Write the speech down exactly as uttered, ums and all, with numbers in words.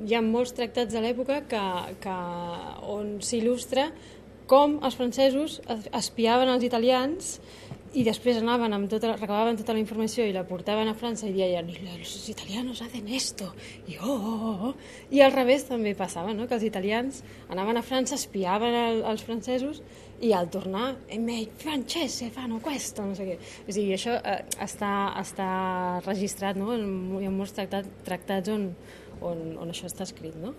hi ha molts tractats de l'època que, que, on s'il·lustra com els francesos espiaven els italians i després anaven amb tota, recabaven tota la informació i la portaven a França i deien els italianos hacen esto i, oh, oh, oh. I al revés també passava, no? Que els italians anaven a França, espiaven el, els francesos i al tornar i francese fanno questo, no sé què. O sigui, això eh, està, està registrat, no? Hi ha molts tractats, tractats on, on, on això està escrit, no?